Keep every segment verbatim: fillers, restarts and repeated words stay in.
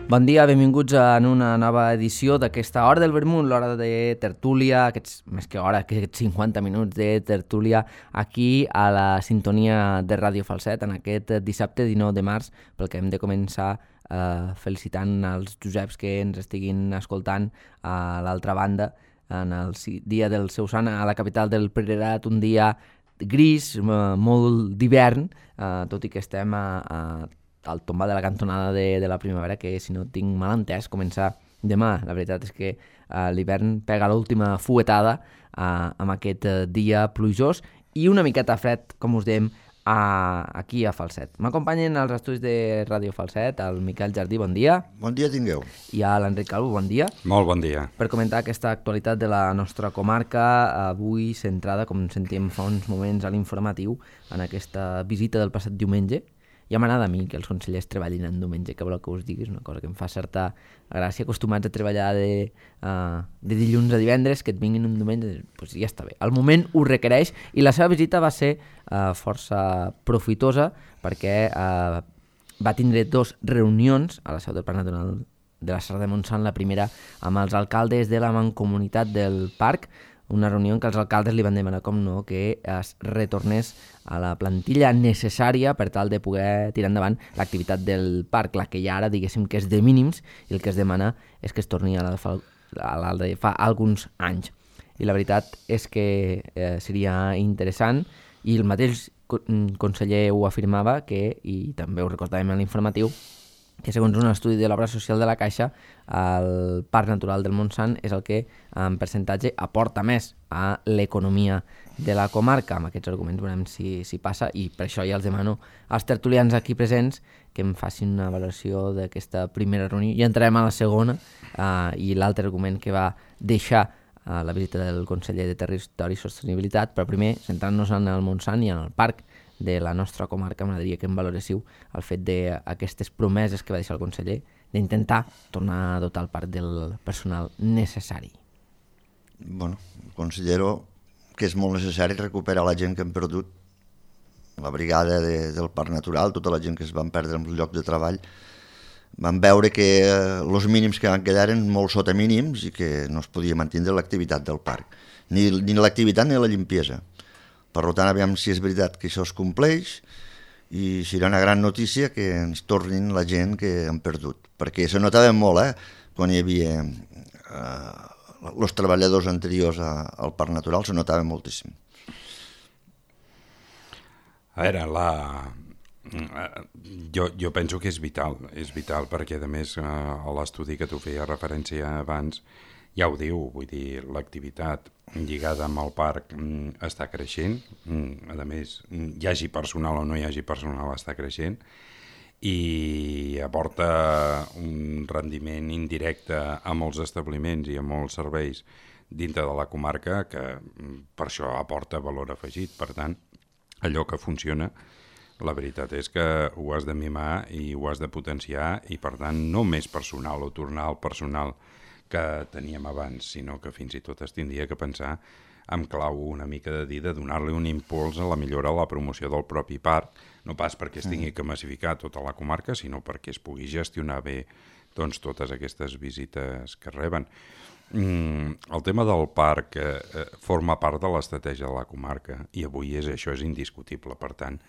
Bon dia, benvinguts en una nova edició d'aquesta Hora del Vermut, l'hora de tertúlia, aquests, més que hora, aquests cinquanta minuts de tertúlia aquí a la sintonia de Ràdio Falset en aquest dissabte dinou de març, pel que hem de començar eh, felicitant els Joseps que ens estiguin escoltant a l'altra banda en el dia del seu sant a la capital del Priorat, un dia gris, molt d'hivern, eh, tot i que estem a, a al tombar de la cantonada de, de la primavera, que si no tinc mal entès començar demà. La veritat és que uh, l'hivern pega l'última fuetada uh, amb aquest uh, dia plujós i una miqueta fred, com us dèiem, uh, aquí a Falset. M'acompanyen als estudis de Ràdio Falset el Miquel Jardí, bon dia. Bon dia tingueu. I a l'Enric Calvo, bon dia. Molt bon dia. Per comentar aquesta actualitat de la nostra comarca, avui centrada, com sentíem fa uns moments a l'informatiu, en aquesta visita del passat diumenge. Ja m'agrada a mi que els consellers treballin en diumenge, que vol que us digui, és una cosa que em fa certa gràcia, acostumats a treballar de, uh, de dilluns a divendres, que et vinguin un diumenge, doncs ja està bé. El moment ho requereix i la seva visita va ser uh, força profitosa perquè uh, va tindre dos reunions a la seu del Parc Natural de la Serra de Montsant, la primera amb els alcaldes de la mancomunitat del parc, una reunió en què els alcaldes li van demanar, com no, que es retornés a la plantilla necessària per tal de poder tirar endavant l'activitat del parc, la que ja ara diguéssim que és de mínims i el que es demana és que es torni a la de fa, a la de fa alguns anys. I la veritat és que eh, seria interessant i el mateix conseller ho afirmava que, i també ho recordàvem en l'informatiu, que segons un estudi de l'obra social de la Caixa, el Parc Natural del Montsant és el que en percentatge aporta més a l'economia de la comarca. Amb aquests arguments veurem si, si passa i per això ja els demano als tertulians aquí presents que em facin una valoració d'aquesta primera reunió i entrarem a la segona eh, i l'altre argument que va deixar eh, la visita del conseller de Territori i Sostenibilitat, però primer centrant-nos en el Montsant i en el parc de la nostra comarca. M'agradaria que em valoréssiu el fet d'aquestes promeses que va deixar el conseller d'intentar tornar a dotar el parc del personal necessari. Bueno, considero que és molt necessari recuperar la gent que hem perdut, la brigada de, del Parc Natural, tota la gent que es van perdre en el lloc de treball. Van veure que els mínims que van quedar eren molt sota mínims i que no es podia mantenir l'activitat del parc, ni, ni l'activitat ni la limpiesa. Per tant, aviam si és veritat que això es compleix i serà una gran notícia que ens tornin la gent que han perdut. Perquè se notava molt, eh? Quan hi havia eh, els treballadors anteriors a, al Parc Natural, se notava moltíssim. A veure, la... jo, jo penso que és vital, és vital perquè, a més, a l'estudi que tu feia referència abans, ja ho diu, vull dir, l'activitat lligada amb el parc mm, està creixent, mm, a més, hi hagi personal o no hi hagi personal, està creixent, i aporta un rendiment indirecte a molts establiments i a molts serveis dintre de la comarca que per això aporta valor afegit. Per tant, allò que funciona, la veritat és que ho has de mimar i ho has de potenciar i, per tant, no més personal o tornar al personal que teníem abans, sinó que fins i tot es tindria que pensar amb clau una mica de dir de donar-li un impuls a la millora, a la promoció del propi parc, no pas perquè es tingui que massificar tota la comarca, sinó perquè es pugui gestionar bé doncs, totes aquestes visites que reben. Mm, el tema del parc eh, forma part de l'estratègia de la comarca i avui és això, és indiscutible. Per tant,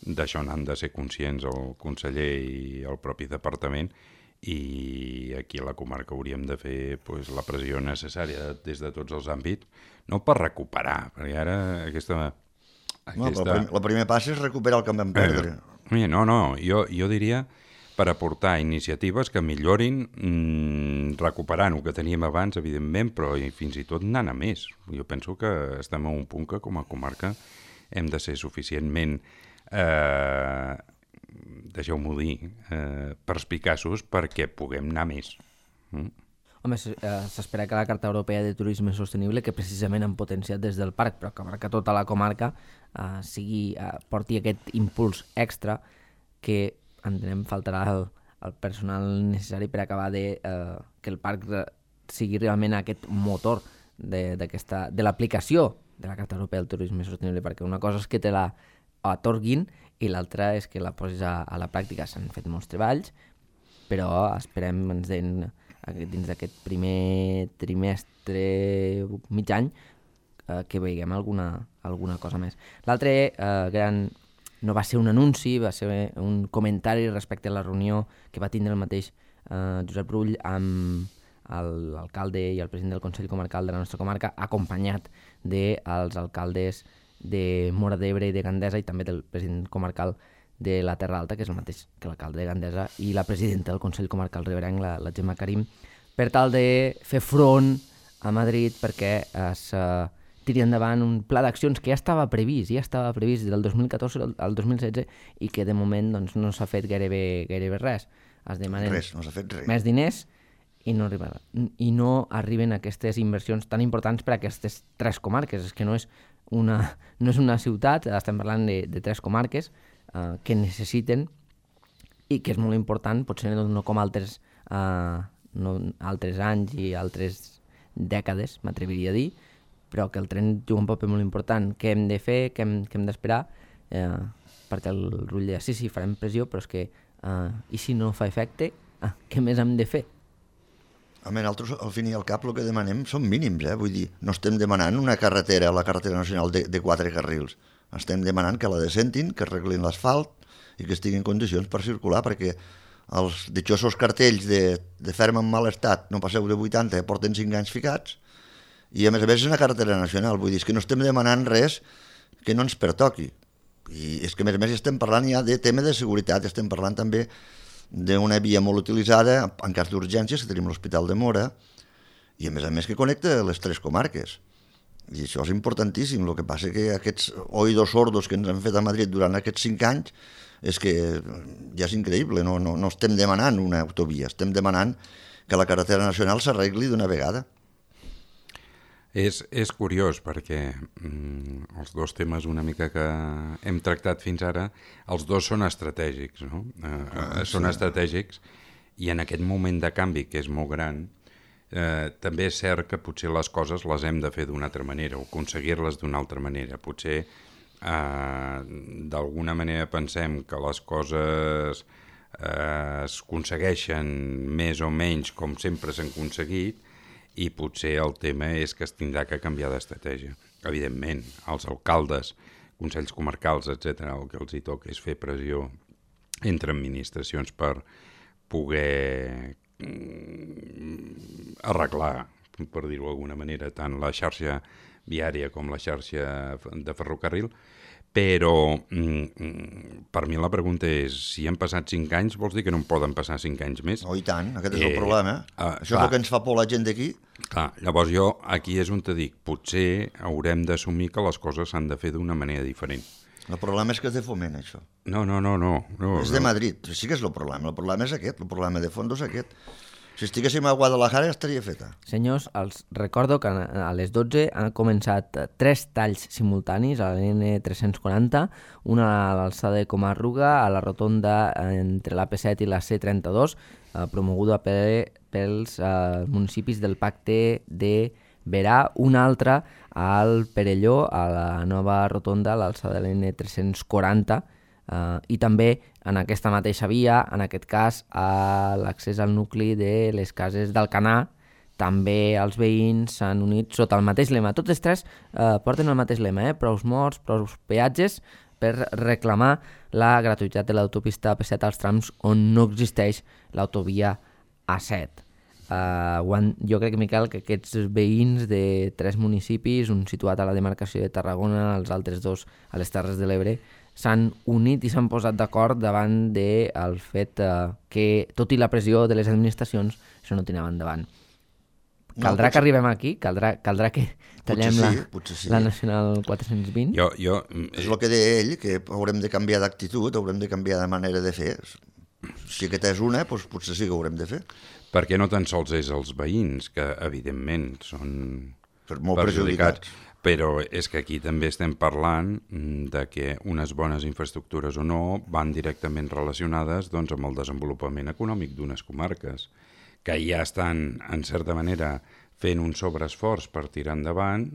d'això n'han de ser conscients el conseller i el propi departament, i aquí a la comarca hauríem de fer pues, la pressió necessària des de tots els àmbits, no per recuperar, perquè ara aquesta... aquesta... No, però el primer pas és recuperar el que vam perdre. Eh, no, no, jo, jo diria per aportar iniciatives que millorin, mmm, recuperant el que teníem abans, evidentment, però fins i tot anant a més. Jo penso que estem a un punt que com a comarca hem de ser suficientment... Eh, deixeu-m'ho dir, eh, perspicaços perquè puguem anar més. Mm? Home, s'espera que la Carta Europea de Turisme Sostenible, que precisament han potenciat des del parc, però que abarca tota la comarca, eh, sigui, eh, porti aquest impuls extra que entenem faltarà el, el personal necessari per acabar de eh, que el parc sigui realment aquest motor de, de l'aplicació de la Carta Europea del Turisme Sostenible, perquè una cosa és que te la atorguin i l'altra és que la posis a, a la pràctica. S'han fet molts treballs, però esperem ens den dins d'aquest primer trimestre, mig any, eh, que veiem alguna, alguna cosa més. L'altre eh, gran... no va ser un anunci, va ser un comentari respecte a la reunió que va tindre el mateix eh, Josep Rull amb l'alcalde i el president del Consell Comarcal de la nostra comarca, acompanyat dels alcaldes de Móra d'Ebre i de Gandesa i també del president comarcal de la Terra Alta, que és el mateix que l'alcalde de Gandesa, i la presidenta del Consell Comarcal riberenc, la, la Gemma Karim, per tal de fer front a Madrid perquè es uh, tiri endavant un pla d'accions que ja estava previst, ja estava previst del dos mil catorze al dos mil setze i que de moment doncs, no s'ha fet gairebé, gairebé res. Es demanen res, no s'ha fet res. Més diners i no, arriba, i no arriben aquestes inversions tan importants per a aquestes tres comarques. És que no és una, no és una ciutat, estem parlant de, de tres comarques eh, que necessiten i que és molt important, potser no com altres, eh, no, altres anys i altres dècades, m'atreviria a dir, però que el tren juga un paper molt important. Què hem de fer, què hem, què hem d'esperar, eh, perquè el Rull deia, sí, sí, farem pressió, però és que, eh, i si no fa efecte, eh, què més hem de fer? Home, nosaltres, al fin i al cap, el que demanem són mínims, eh? Vull dir, no estem demanant una carretera, la carretera nacional de, de quatre carrils. Estem demanant que la descentin, que arreglin l'asfalt i que estigui en condicions per circular, perquè els ditxosos cartells de, de ferma en mal estat, no passeu de vuitanta, porten cinc anys ficats, i a més a més és una carretera nacional, vull dir, és que no estem demanant res que no ens pertoqui. I és que a més a més estem parlant ja de tema de seguretat, estem parlant també d'una via molt utilitzada en cas d'urgències, que tenim l'Hospital de Móra, i a més a més que connecta les tres comarques. I això és importantíssim. El que passa que aquests oïdos sordos que ens han fet a Madrid durant aquests cinc anys és que ja és increïble, no, no, no estem demanant una autovia, estem demanant que la carretera nacional s'arregli d'una vegada. És, és curiós perquè mm, els dos temes una mica que hem tractat fins ara, els dos són estratègics, no? Eh, ah, són sí. estratègics i en aquest moment de canvi que és molt gran, eh, també és cert que potser les coses les hem de fer d'una altra manera o aconseguir-les d'una altra manera. Potser eh, d'alguna manera pensem que les coses eh, es aconsegueixen més o menys com sempre s'han aconseguit, i potser el tema és que es tindrà que canviar d'estratègia. Evidentment, els alcaldes, consells comarcals, etcètera, el que els hi toca és fer pressió entre administracions per poder arreglar, per dir-ho d'alguna manera, tant la xarxa viària com la xarxa de ferrocarril, però mm, per mi la pregunta és, si han passat cinc anys, vols dir que no en poden passar cinc anys més? Oh, i tant, aquest és el eh, problema. Uh, Això clar, és el que ens fa por la gent d'aquí. Clar, llavors jo aquí és on te dic, potser haurem d'assumir que les coses s'han de fer d'una manera diferent. El problema és que és de Foment, això. No, no, no, no. no és de Madrid, sí que és el problema. El problema és aquest, el problema de fons és aquest. Si estiguéssim a Guadalajara ja estaria feta. Senyors, els recordo que a les dotze han començat tres talls simultanis a l'N tres-cents quaranta, una a l'alçada de Comarruga, a la rotonda entre l'A P set i la C trenta-dos, eh, promoguda per, pels eh, municipis del Pacte de Verà, una altra al Perelló, a la nova rotonda a l'alçada de l'N tres-cents quaranta, Uh, i també en aquesta mateixa via, en aquest cas a l'accés al nucli de les cases d'Alcanar, també els veïns s'han unit sota el mateix lema. Tots tres uh, porten el mateix lema, eh? Prous morts, prous peatges, per reclamar la gratuïtat de l'autopista A P set als trams on no existeix l'autovia A set. Uh, jo crec, Miquel, que aquests veïns de tres municipis, un situat a la demarcació de Tarragona, els altres dos a les Terres de l'Ebre, s'han unit i s'han posat d'acord davant del fet eh, que, tot i la pressió de les administracions, això no tirava endavant. Caldrà no, potser... que arribem aquí? Caldrà, caldrà que tallem sí, la, sí. la Nacional quatre-cents vint? Jo, jo... És el que deia ell, que haurem de canviar d'actitud, haurem de canviar de manera de fer. Si aquesta és una, doncs potser sí que haurem de fer. Perquè no tan sols és els veïns, que evidentment són molt perjudicats, Però és que aquí també estem parlant de que unes bones infraestructures o no van directament relacionades doncs, amb el desenvolupament econòmic d'unes comarques, que ja estan, en certa manera, fent un sobreesforç per tirar endavant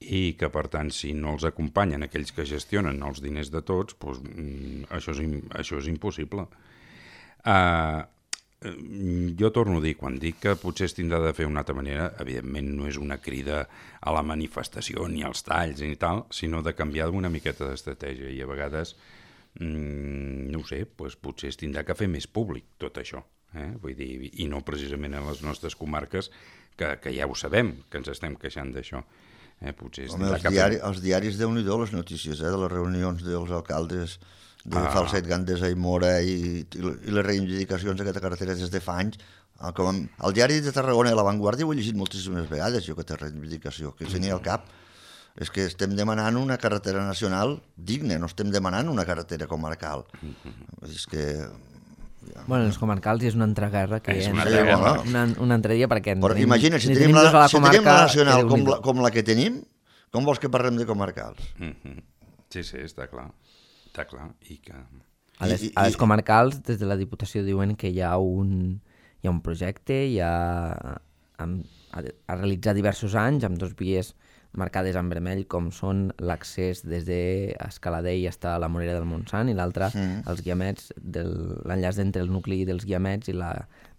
i que, per tant, si no els acompanyen aquells que gestionen els diners de tots, doncs, això, és, això és impossible. Uh, jo torno a dir, quan dic que potser es tindrà de fer d'una altra manera, evidentment no és una crida a la manifestació ni als talls ni tal, sinó de canviar una miqueta d'estratègia i a vegades, mm, no ho sé, doncs potser es tindrà que fer més públic tot això, eh? Vull dir, i no precisament a les nostres comarques, que, que ja ho sabem, que ens estem queixant d'això. Eh, potser es Home, els, diari, els diaris, Déu-n'hi-do, les notícies eh, de les reunions dels alcaldes de ah. Falset, Gandesa i Mora i, i les reivindicacions d'aquesta carretera des de fa anys. Com el diari de Tarragona i La Vanguardia ho he llegit moltíssimes vegades, jo, aquesta reivindicació, que tenia al cap. És que estem demanant una carretera nacional digna, no estem demanant una carretera comarcal. És que... Ja. Bueno, els comarcals és una altra guerra que és una, una, altra guerra. una, una altra dia perquè... Però imagina, si tenim la, la, si tenim la nacional com la, com la que tenim, com vols que parlem de comarcals? Mm-hmm. Sí, sí, està clar. Està clar. I que... A les, a les comarcals, des de la Diputació diuen que hi ha un, hi ha un projecte, hi ha a, a realitzar diversos anys amb dos vies marcades en vermell, com són l'accés des d'Escaladell fins a la Morera del Montsant i l'altre, mm. els guiamets, l'enllaç entre el nucli dels guiamets i la,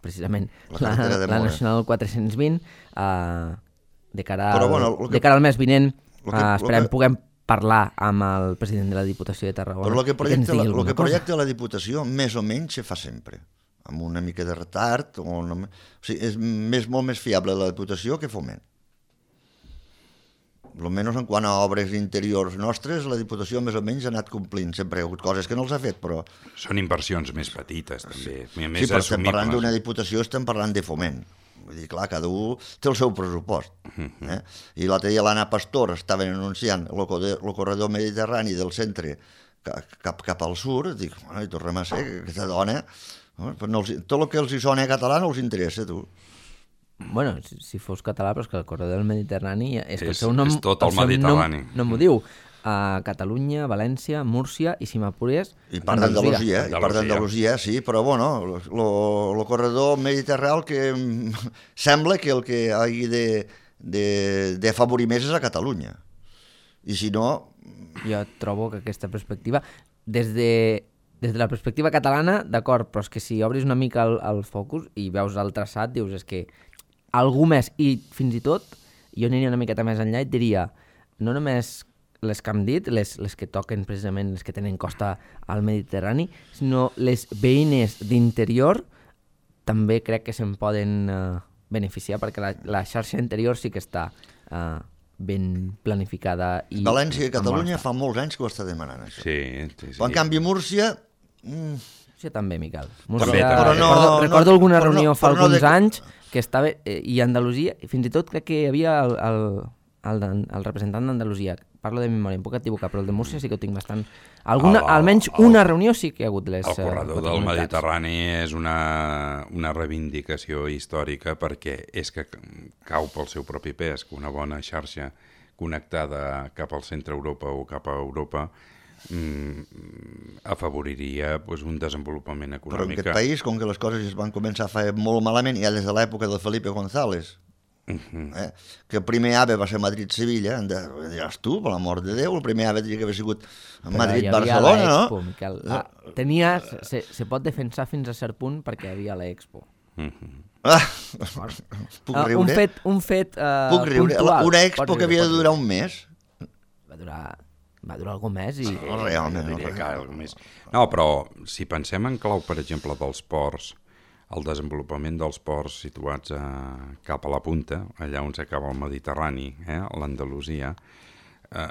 precisament la, la, la Nacional quatre-cents vint, uh, de, cara al, Però, bueno, que, de cara al mes vinent, uh, esperem que... puguem parlar amb el president de la Diputació de Tarragona. Però el que projecta, la, el que projecta la Diputació més o menys se fa sempre, amb una mica de retard, o, no, o sigui, és més, molt més fiable la Diputació que Foment. Almenys en quant a obres interiors nostres, la Diputació més o menys ha anat complint. Sempre hi ha hagut coses que no els ha fet, però... Són inversions més petites, també. Sí, més sí però estem parlant d'una Diputació, estem parlant de Foment. Vull dir, clar, cada un té el seu pressupost. Eh? I l'altre dia l'Anna Pastor estaven anunciant el corredor mediterrani del centre cap, cap al sud. Dic, bueno, i tornem a ser aquesta dona... No els, tot el que els hi sona català no els interessa, tu. Bueno, si, si fos català, però és que el corredor del Mediterrani és, és que el seu nom, és tot el, el Mediterrani. No m'ho diu. A Catalunya, València, Múrcia i, si m'apures, I part d'Andalusia. I part d'Andalusia, sí, però bueno, el corredor mediterrani que sembla que el que hagi de, de, de afavorir més és a Catalunya. I si no... Jo trobo que aquesta perspectiva, des de, des de la perspectiva catalana, d'acord, però és que si obris una mica el, el focus i veus el traçat, dius, és que algú més, i fins i tot, jo aniria una miqueta més enllà i et diria, no només les que hem dit, les, les que toquen precisament, les que tenen costa al Mediterrani, sinó les veïnes d'interior també crec que se'n poden uh, beneficiar, perquè la, la xarxa interior sí que està uh, ben planificada. I València i Catalunya fa molts anys que ho està demanant, això. Sí, sí, sí. Però en canvi Múrcia... Mm... Múrcia també, Miquel. Múrcia, també, també. Però no, recordo, recordo no, alguna reunió no, fa alguns no de... anys que estava, eh, i Andalusia, i fins i tot crec que hi havia el, el, el, el representant d'Andalusia, parlo de memòria, em puc equivocar, però el de Múrcia sí que ho tinc bastant... Alguna, el, almenys el, una reunió sí que hi ha hagut les... El corredor uh, del Mediterrani és una, una reivindicació històrica perquè és que cau pel seu propi pes que una bona xarxa connectada cap al centre Europa o cap a Europa mm, afavoriria pues, un desenvolupament econòmic. Però en aquest país, com que les coses es van començar a fer molt malament, ja des de l'època del Felipe González, uh-huh. eh, que el primer AVE va ser Madrid-Sevilla, diràs tu, per l'amor de Déu, el primer AVE tenia que haver sigut Madrid-Barcelona, no? Miquel. Ah, tenia, se, se pot defensar fins a cert punt perquè hi havia l'Expo. Uh-huh. Ah, puc uh, riure? Un fet, un fet uh, puc riure? puntual. Una Expo que havia de durar un mes. Va durar, va durar algun mes i... No, realment. No, no, que més. No, però si pensem en clau, per exemple, dels ports, el desenvolupament dels ports situats a, cap a la punta, allà on s'acaba el Mediterrani, eh, a l'Andalusia, eh,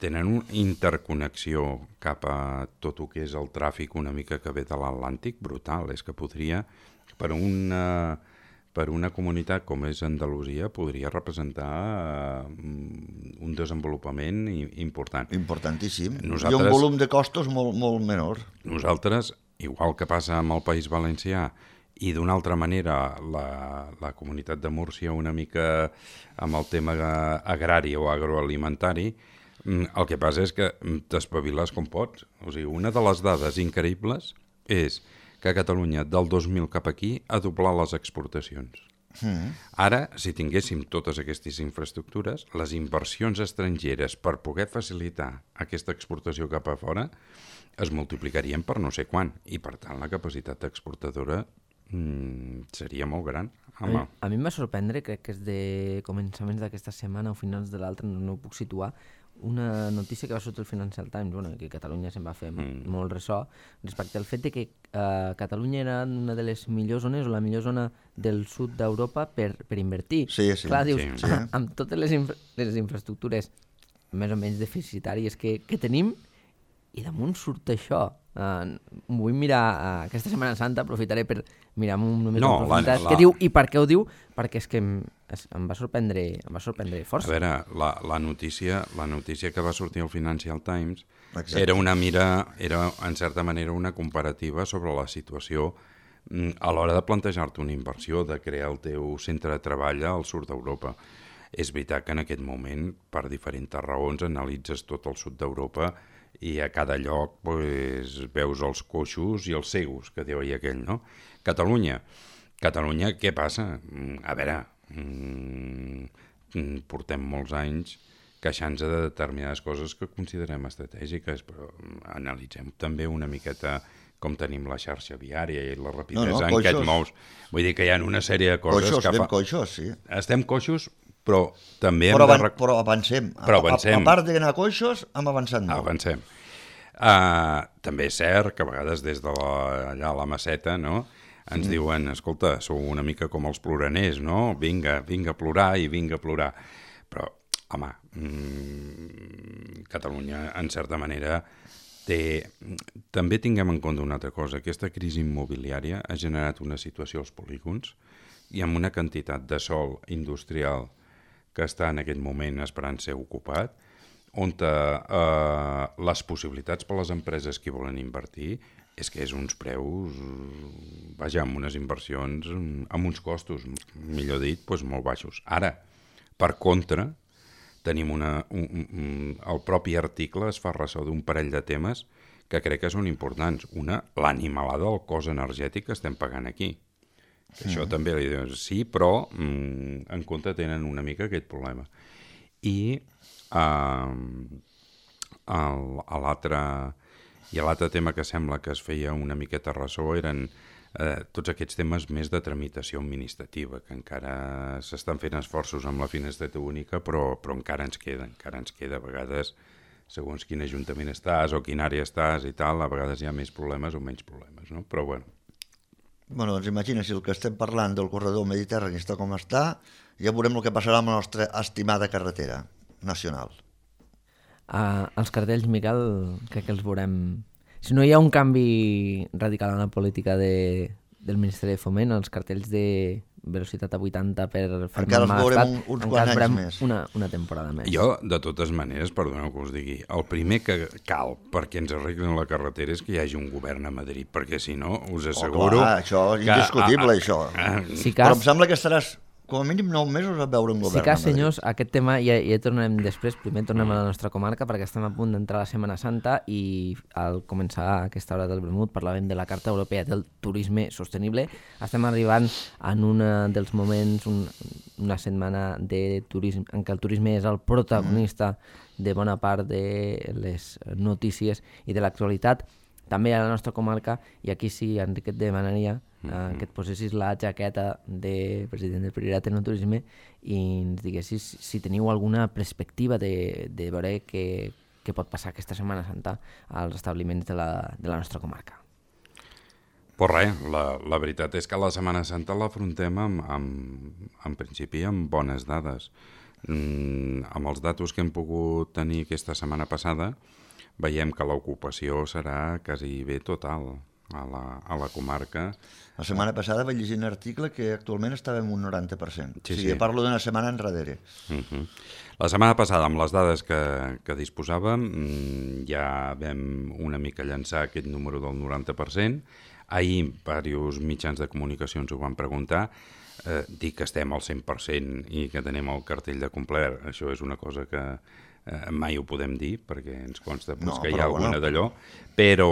tenen una interconnexió cap a tot el que és el tràfic una mica que ve de l'Atlàntic brutal. És que podria, per una, per una comunitat com és Andalusia, podria representar eh, un desenvolupament important. Importantíssim. Nosaltres, I un volum de costos molt, molt menor. Nosaltres, igual que passa amb el País Valencià, i d'una altra manera la, la comunitat de Múrcia una mica amb el tema agrari o agroalimentari, el que passa és que t'espaviles com pots. O sigui, una de les dades increïbles és que Catalunya del dos mil cap aquí ha doblat les exportacions. Mm. Ara, si tinguéssim totes aquestes infraestructures, les inversions estrangeres per poder facilitar aquesta exportació cap a fora es multiplicarien per no sé quan, i per tant la capacitat exportadora mm, seria molt gran. A mi, a mi em va sorprendre, crec que és de començaments d'aquesta setmana o finals de l'altra, no, no ho puc situar, una notícia que va sortir el Financial Times, bueno, que Catalunya se'n va fer mm. molt ressò, respecte al fet de que eh, Catalunya era una de les millors zones o la millor zona del sud d'Europa per, per invertir. Sí, sí. Clar, dius, sí, sí. amb totes les, infra les infraestructures més o menys deficitàries que, que tenim, i damunt surt això. Uh, vull mirar uh, aquesta Setmana Santa, aprofitaré per mirar una mica no, en profunditat. La... Què diu i per què ho diu? Perquè és que em, es, em, va, sorprendre, em va sorprendre força. A veure, la, la, notícia, la notícia que va sortir al Financial Times Exacte. era una mira, era en certa manera una comparativa sobre la situació a l'hora de plantejar-te una inversió, de crear el teu centre de treball al sud d'Europa. És veritat que en aquest moment, per diferents raons, analitzes tot el sud d'Europa i a cada lloc pues, veus els coixos i els cegos, que deia aquell, no? Catalunya. Catalunya, què passa? A veure, mm, portem molts anys queixant-nos de determinades coses que considerem estratègiques, però analitzem també una miqueta com tenim la xarxa viària i la rapidesa no, no, en què et mous. Vull dir que hi ha una sèrie de coses coixos, que fa... Estem coixos, sí. Estem coixos, però també però, hem avan de... Però avancem. Però avancem. A, a, a part d'anar coixos, hem avançat molt. Avancem. Uh, també és cert que a vegades des de la, allà a la Maceta, no?, ens mm. diuen, escolta, sou una mica com els ploraners, no? Vinga, vinga a plorar i vinga a plorar. Però, home, mmm, Catalunya, en certa manera, té... També tinguem en compte una altra cosa. Aquesta crisi immobiliària ha generat una situació als polígons i amb una quantitat de sòl industrial que està en aquest moment esperant ser ocupat, on eh, les possibilitats per a les empreses que volen invertir és que és uns preus, vaja, amb unes inversions, amb uns costos, millor dit, doncs molt baixos. Ara, per contra, tenim una, un, un, el propi article es fa ressò d'un parell de temes que crec que són importants. Una, l'animalada del cost energètic que estem pagant aquí. Que mm. Això també li diuen, sí, però mm, en compte tenen una mica aquest problema. I uh, l'altre i l'altre tema que sembla que es feia una miqueta ressò eren eh, tots aquests temes més de tramitació administrativa, que encara s'estan fent esforços amb la finestreta única, però, però encara ens queda, encara ens queda a vegades, segons quin ajuntament estàs o quina àrea estàs i tal, a vegades hi ha més problemes o menys problemes, no? Però bueno. Bueno, doncs imagina, si el que estem parlant del corredor mediterrani està com està, ja veurem el que passarà amb la nostra estimada carretera nacional. Uh, els cartells, Miquel, crec que els veurem... Si no hi ha un canvi radical en la política de, del Ministeri de Foment, els cartells de velocitat a vuitanta per fer encara els veurem estat, un, uns quants anys més. Una, una temporada més. Jo, de totes maneres, perdoneu que us digui, el primer que cal perquè ens arreglin la carretera és que hi hagi un govern a Madrid, perquè si no, us asseguro... Oh, clar, això és indiscutible, que, això. A, a, si cas, però em sembla que estaràs... com a mínim nou mesos a veure un govern. Sí que, senyors, aquest tema ja, ja tornarem després. Primer tornem a la nostra comarca perquè estem a punt d'entrar a la Setmana Santa i al començar aquesta hora del vermut parlàvem de la Carta Europea del Turisme Sostenible. Estem arribant en un dels moments, un, una setmana de turisme, en què el turisme és el protagonista mm. de bona part de les notícies i de l'actualitat. També a la nostra comarca, i aquí sí, Enric, et demanaria mm-hmm. eh, que et posessis la jaqueta de president del Priorat en el turisme i ens diguessis si teniu alguna perspectiva de, de veure què, què pot passar aquesta Setmana Santa als establiments de la, de la nostra comarca. Pues res, la, la veritat és que la Setmana Santa l'afrontem amb, amb, en principi amb bones dades. Mm, amb els datos que hem pogut tenir aquesta setmana passada, veiem que l'ocupació serà quasi bé total a la, a la comarca. La setmana passada vaig llegir un article que actualment estava en un noranta per cent. Sí, o sigui, sí. Parlo d'una setmana enrere. Uh-huh. La setmana passada, amb les dades que, que disposàvem, ja vam una mica llançar aquest número del noranta per cent. Ahir, diversos mitjans de comunicació ens ho van preguntar, eh, dir que estem al cent per cent i que tenim el cartell de complert, això és una cosa que eh, mai ho podem dir, perquè ens consta pues, No, que hi ha però alguna bueno. d'allò, però,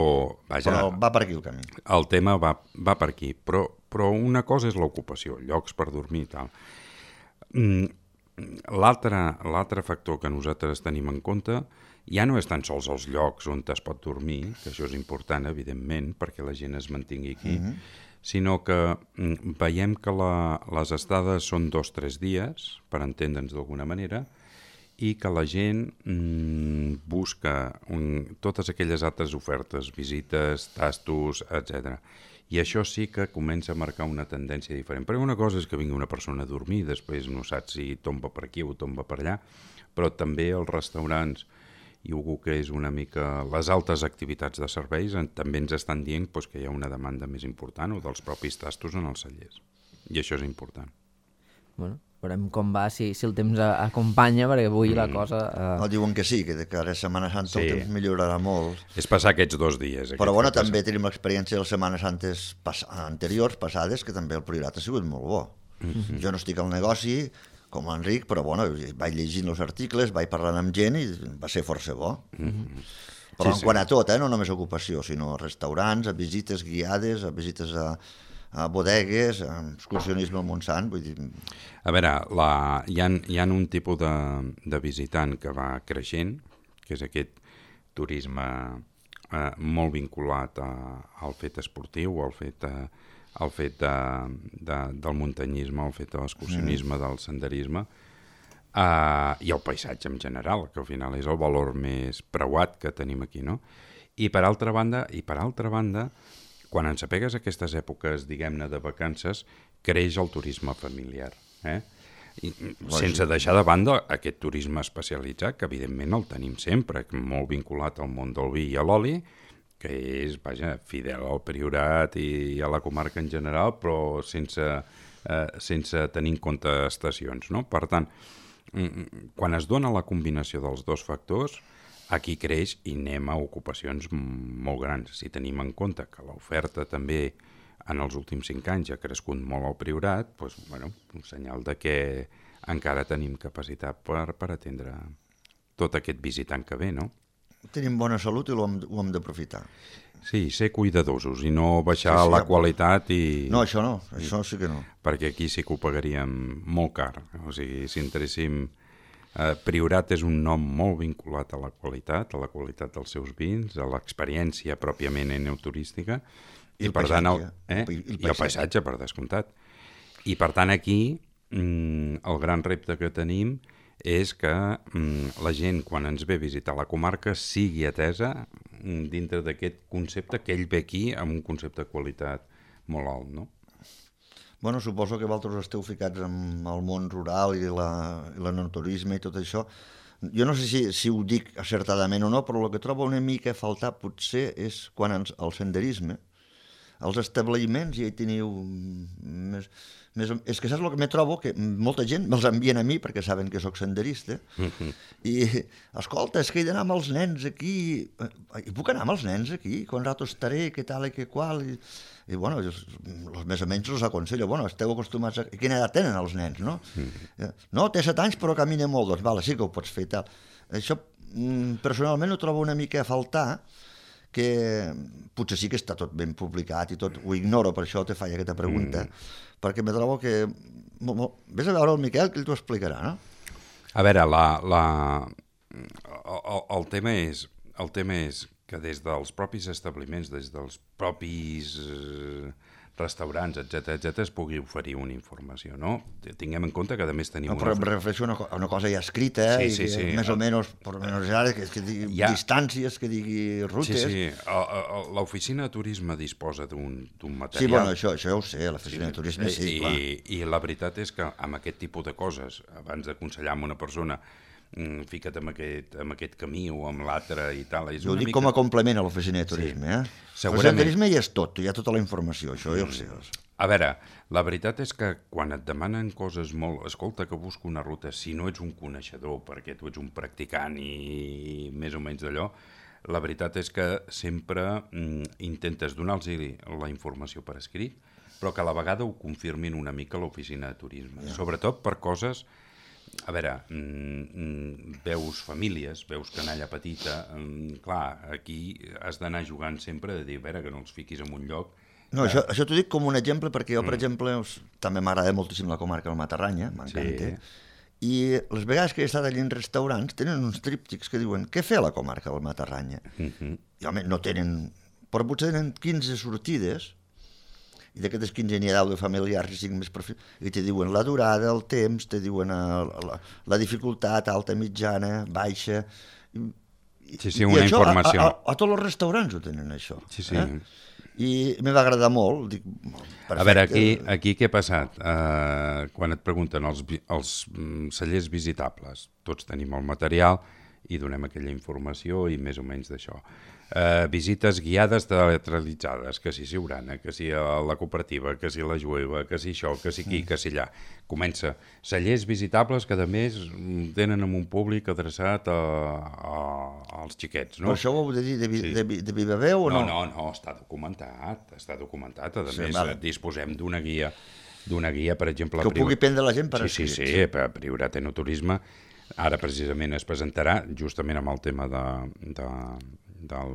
vaja, Però va per aquí el camí. el tema va, va per aquí, però, però una cosa és l'ocupació, llocs per dormir i tal. Mm, L'altre l'altre factor que nosaltres tenim en compte ja no és tan sols els llocs on es pot dormir, que això és important, evidentment, perquè la gent es mantingui aquí, mm-hmm. sinó que mm, veiem que la, les estades són dos o tres dies, per entendre'ns d'alguna manera, i que la gent mm, busca un, totes aquelles altres ofertes, visites, tastos, etcètera. I això sí que comença a marcar una tendència diferent. Perquè una cosa és que vingui una persona a dormir, després no saps si tomba per aquí o tomba per allà, però també els restaurants i algú que és una mica les altes activitats de serveis també ens estan dient doncs, que hi ha una demanda més important o dels propis tastos en els cellers. I això és important. Bueno, veurem com va, si, si el temps acompanya, perquè avui mm. la cosa... Eh... No, diuen que sí, que de cara a Setmana Santa sí. el temps millorarà molt. És passar aquests dos dies. Però bueno, també tenim l'experiència de les Setmanes Santes pas anteriors, passades, que també el Priorat ha sigut molt bo. Mm-hmm. Jo no estic al negoci, com l'Enric, però bueno, vaig llegint els articles, vaig parlant amb gent i va ser força bo. Mm-hmm. Però sí, en quant sí. a tot, eh, no només ocupació, sinó a restaurants, a visites guiades, a visites a, a bodegues, a excursionisme al Montsant, vull dir... A veure, la, hi, ha, hi ha un tipus de, de visitant que va creixent, que és aquest turisme eh, molt vinculat a, al fet esportiu, al fet... Eh, el fet de, de, del muntanyisme, el fet de l'excursionisme, mm. del senderisme, uh, i el paisatge en general, que al final és el valor més preuat que tenim aquí, no? I per altra banda, i per altra banda, quan ens apegues a aquestes èpoques, diguem-ne, de vacances, creix el turisme familiar, eh? I, sense deixar de banda aquest turisme especialitzat, que evidentment el tenim sempre, molt vinculat al món del vi i a l'oli, que és, vaja, fidel al Priorat i a la comarca en general, però sense, eh, sense tenir en compte estacions, no? Per tant, quan es dona la combinació dels dos factors, aquí creix i anem a ocupacions molt grans. Si tenim en compte que l'oferta també en els últims cinc anys ha crescut molt al Priorat, doncs, bueno, un senyal de que encara tenim capacitat per, per atendre tot aquest visitant que ve, no? Tenim bona salut i ho hem, ho hem d'aprofitar. Sí, ser cuidadosos i no baixar sí, sí, la ja, qualitat i... No, això no, això sí que no. Perquè aquí sí que ho pagaríem molt car. O sigui, si entréssim... Eh, Priorat és un nom molt vinculat a la qualitat, a la qualitat dels seus vins, a l'experiència pròpiament enoturística, i, I per tant, el, eh? I, el I el paisatge, per descomptat. I per tant, aquí, mm, el gran repte que tenim és que mm, la gent, quan ens ve a visitar la comarca, sigui atesa mm, dintre d'aquest concepte, que ell ve aquí amb un concepte de qualitat molt alt, no? Bueno, suposo que vosaltres esteu ficats en el món rural i l'enoturisme i tot això. Jo no sé si, si ho dic acertadament o no, però el que trobo una mica a faltar potser és quan ens, el senderisme, els establiments, i hi teniu més... Més, és que saps el que me trobo? Que molta gent me'ls envien a mi perquè saben que sóc senderista mm-hmm. i, escolta, és que he d'anar amb els nens aquí i puc anar amb els nens aquí? Quan rato estaré, què tal i què qual? I, i bueno, els, els més o menys els aconsello, bueno, esteu acostumats a... Quina edat tenen els nens, no? Mm-hmm. No, té set anys però camina molt, doncs vale, sí que ho pots fer i tal. Això personalment ho trobo una mica a faltar, que potser sí que està tot ben publicat i tot, ho ignoro, per això te faig aquesta pregunta, mm. perquè me trobo que... Ves a veure el Miquel, que ell t'ho explicarà, no? A veure, la, la... El, el, tema és, el tema és que des dels propis establiments, des dels propis eh, restaurants, etcètera, etcètera, es pugui oferir una informació, no? Tinguem en compte que a més tenim... No, però una... em refereixo a una, una cosa ja escrita, sí, i sí, sí. més o menys, per menys ara, que, que digui ja. distàncies, que digui rutes... Sí, sí, l'oficina de turisme disposa d'un material... Sí, bueno, això, això ja ho sé, l'oficina sí, de turisme sí, i, clar. I, I la veritat és que amb aquest tipus de coses, abans d'aconsellar a una persona, fica't amb aquest, amb aquest camí o amb l'altre i tal... És jo ho dic mica... com a complement a l'oficina de turisme, sí. eh? L'oficina de turisme hi és tot, hi ha tota la informació, això ja ho sé. A veure, la veritat és que quan et demanen coses molt... Escolta, que busco una ruta, si no ets un coneixedor, perquè tu ets un practicant i més o menys d'allò, la veritat és que sempre mm, intentes donar-los la informació per escrit, però que a la vegada ho confirmin una mica a l'oficina de turisme, yeah. sobretot per coses... A veure, mm, veus famílies, veus canalla petita, mm, clar, aquí has d'anar jugant sempre de dir, a veure, que no els fiquis en un lloc. No, això, això t'ho dic com un exemple, perquè jo, per mm. exemple, us, també m'agrada moltíssim la comarca del Matarranya, m'encanta, sí. I les vegades que he estat allà en restaurants tenen uns tríptics que diuen què fer a la comarca del Matarranya? Mm-hmm. I, home, no tenen... Però potser tenen quinze sortides, i d'aquestes quinze n'hi ha deu de familiars i cinc més perfils, i te diuen la durada, el temps, te diuen la, la, la dificultat, alta, mitjana, baixa... I, sí, sí, una i això, informació. A, a, a tots els restaurants ho tenen, això. Sí, sí. Eh? I me va agradar molt. Dic, perfecte. A veure, aquí, aquí què ha passat? Uh, quan et pregunten els, els cellers visitables, tots tenim el material i donem aquella informació i més o menys d'això. Uh, visites guiades teatralitzades, que si Siurana, que si la cooperativa, que si la Jueva, que si això, que si aquí, que si allà. Comença. Cellers visitables que a més tenen amb un públic adreçat a, a, als xiquets, no? Però això ho heu de dir de, sí. de, de viva veu o no? No, no, no, està documentat, està documentat. A sí, més, vale. disposem d'una guia, d'una guia, per exemple... Que ho prior... pugui prendre la gent per sí, escrits. Sí, sí, per Priorat Enoturisme. Ara precisament es presentarà, justament amb el tema de, de, del,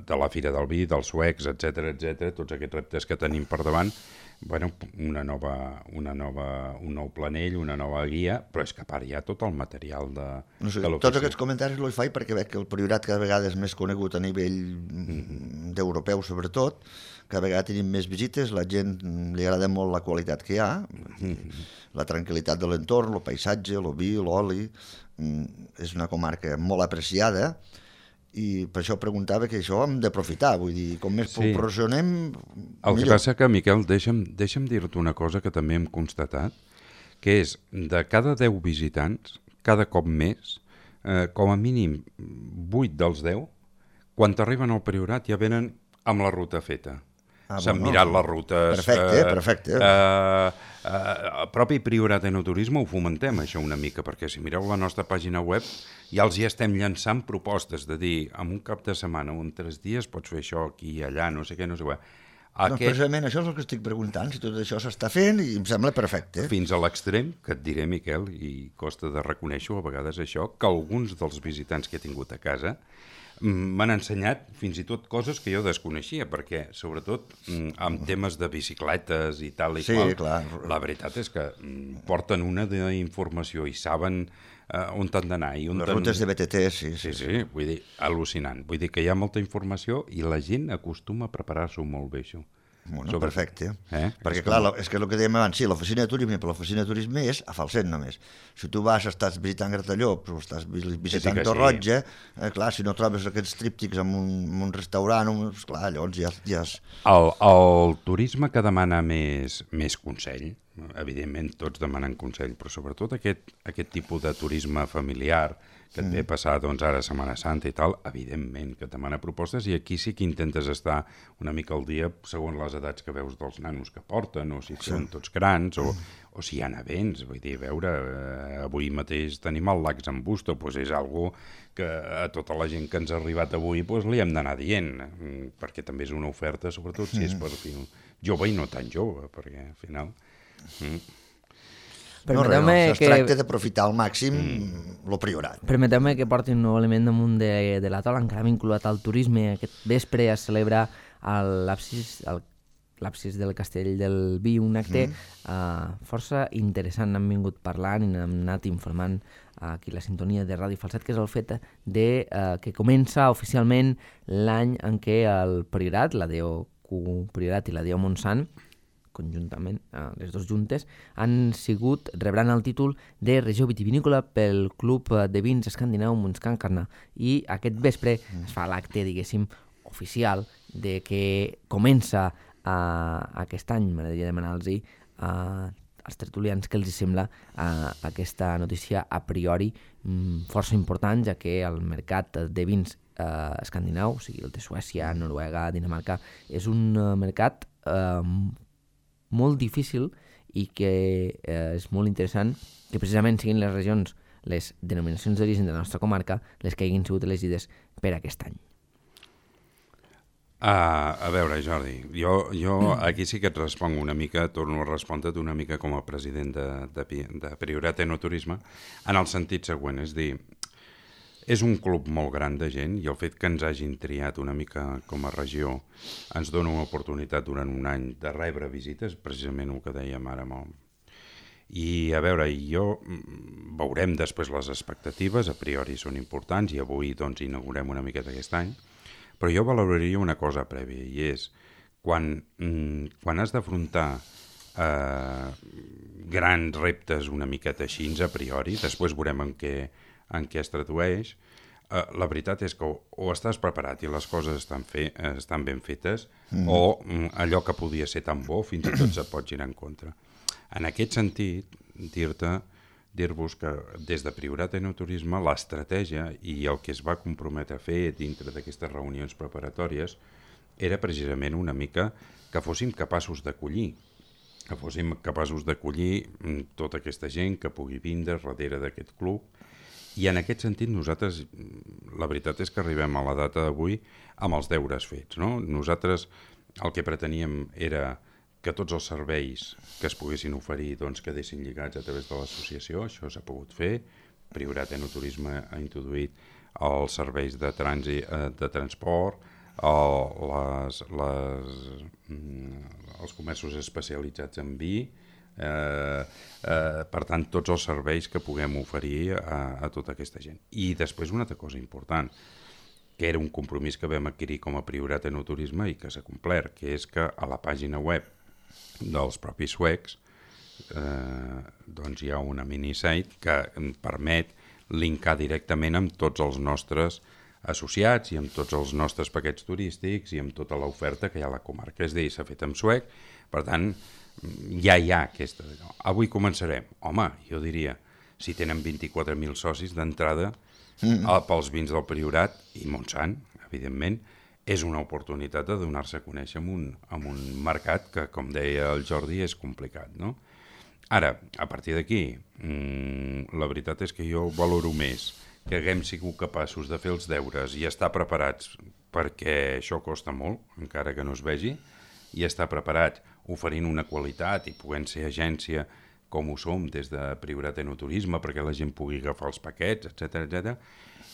de la Fira del Vi, dels suecs, etcètera, etcètera, tots aquests reptes que tenim per davant, bueno, una nova, una nova, un nou planell, una nova guia, però és que a part hi ha tot el material de, no sé, de l'oficina. Tots aquests comentaris els faig perquè veig que el Priorat cada vegada és més conegut a nivell mm-hmm. d'europeu, sobretot, cada vegada tenim més visites, la gent li agrada molt la qualitat que hi ha, mm-hmm. la tranquil·litat de l'entorn, el paisatge, el vi, l'oli, és una comarca molt apreciada, i per això preguntava que això hem d'aprofitar, vull dir, com més sí. proporcionem, el millor. Que passa que, Miquel, deixa'm, deixa'm dir-te una cosa que també hem constatat, que és, de cada deu visitants, cada cop més, eh, com a mínim vuit dels deu, quan t'arriben al Priorat ja venen amb la ruta feta. Ah, S'han bueno, mirat les rutes... Perfecte, eh, perfecte. Eh, eh, el propi Priorat Enoturisme ho fomentem, això, una mica, perquè si mireu la nostra pàgina web ja els hi estem llançant propostes de dir, en un cap de setmana o en tres dies pots fer això aquí i allà, no sé què, no sé què. Aquest... Doncs precisament això és el que estic preguntant, si tot això s'està fent i em sembla perfecte. Fins a l'extrem, que et diré, Miquel, i costa de reconèixer a vegades això, que alguns dels visitants que he tingut a casa m'han ensenyat fins i tot coses que jo desconeixia, perquè, sobretot, amb temes de bicicletes i tal i sí, qual, clar. La veritat és que porten una d'informació i saben uh, on t'han d'anar. Les rutes de B T T, sí, sí. Sí, sí, vull dir, al·lucinant. Vull dir que hi ha molta informació i la gent acostuma a preparar-s'ho molt bé, això. Bueno, Sobre... perfecte. Eh? Perquè, clar, és que el que dèiem abans, sí, l'oficina de turisme, però l'oficina de turisme és a Falset només. Si tu vas, estàs visitant Gratallops o estàs visitant sí, sí Torroja, sí. eh, clar, si no trobes aquests tríptics en un, en un restaurant, un, clar, llavors ja... ja és... el, el turisme que demana més, més consell, evidentment tots demanen consell, però sobretot aquest, aquest tipus de turisme familiar que et ve passar doncs, ara Setmana Santa i tal, evidentment que et demana propostes i aquí sí que intentes estar una mica al dia segons les edats que veus dels nanos que porten, o si sí. són tots grans, o, o si hi ha events, vull dir, veure, eh, avui mateix tenim el Lacs en Busto, doncs és algo que a tota la gent que ens ha arribat avui doncs, li hem d'anar dient, perquè també és una oferta, sobretot si és per jove i no tan jove, perquè al final... Mm. No, res, no, es que... tracta d'aprofitar al màxim mm. lo Priorat. Permeteu-me que porti un nou element damunt de, de la taula, encara vinculat al turisme. Aquest vespre es celebra a l'absis l'absis del Castell del Vi, un acte mm. uh, força interessant. N'hem vingut parlant i n'hem anat informant uh, aquí la sintonia de Ràdio Falset, que és el fet de, uh, que comença oficialment l'any en què el Priorat, la D O Q Priorat i la D O Montsant, conjuntament, les dues juntes, han sigut, rebran el títol de regió vitivinícola pel Club de Vins Escandinau Montscancarna. I aquest vespre es fa l'acte, diguéssim, oficial de que comença uh, aquest any. M'agradaria demanar-los uh, als tertulians què els sembla uh, aquesta notícia a priori um, força important, ja que el mercat de vins uh, escandinau, o sigui el de Suècia, Noruega, Dinamarca, és un uh, mercat uh, molt difícil i que eh, és molt interessant que precisament siguin les regions les denominacions d'origen de la nostra comarca, les que hagin sigut elegides per aquest any. Uh, a veure, Jordi, jo, jo aquí sí que et responc una mica, torno a respondre't una mica com a president de, de, de Priorat Enoturisme, en el sentit següent, és dir, és un club molt gran de gent i el fet que ens hagin triat una mica com a regió ens dona una oportunitat durant un any de rebre visites, precisament el que dèiem ara molt. I a veure, jo veurem després les expectatives, a priori són importants i avui doncs inaugurem una miqueta aquest any, però jo valoraria una cosa prèvia i és quan, quan has d'afrontar eh, grans reptes una miqueta així a priori, després veurem en què, en què es tradueix, eh, la veritat és que o, o estàs preparat i les coses estan, fe, estan ben fetes mm. o mm, allò que podia ser tan bo fins i tot se pot girar en contra. En aquest sentit, dir-te dir-vos que des de Priorat Enoturisme l'estratègia i el que es va comprometre a fer dintre d'aquestes reunions preparatòries era precisament una mica que fóssim capaços d'acollir, que fóssim capaços d'acollir tota aquesta gent que pugui vindre darrere d'aquest club. I en aquest sentit nosaltres, la veritat és que arribem a la data d'avui amb els deures fets, no? Nosaltres el que preteníem era que tots els serveis que es poguessin oferir doncs, quedessin lligats a través de l'associació, això s'ha pogut fer. Priorat Enoturisme ha introduït els serveis de, trànsit, de transport, el, les, les, els comerços especialitzats en vi, eh, eh, per tant, tots els serveis que puguem oferir a, a tota aquesta gent. I després una altra cosa important, que era un compromís que vam adquirir com a Priorat Enoturisme i que s'ha complert, que és que a la pàgina web dels propis suecs eh, doncs hi ha una minisite que em permet linkar directament amb tots els nostres associats i amb tots els nostres paquets turístics i amb tota l'oferta que hi ha a la comarca. És a dir, s'ha fet en suec, per tant ja hi ha aquesta. Avui començarem. Home, jo diria, si tenen vint-i-quatre mil socis d'entrada mm. pels vins del Priorat i Montsant, evidentment, és una oportunitat de donar-se a conèixer en un, en un mercat que, com deia el Jordi, és complicat, no? Ara, a partir d'aquí, mmm, la veritat és que jo valoro més que haguem sigut capaços de fer els deures i estar preparats, perquè això costa molt, encara que no es vegi, i estar preparats oferint una qualitat i podent ser agència com ho som des de Priorat Enoturisme perquè la gent pugui agafar els paquets, etcètera, etcètera,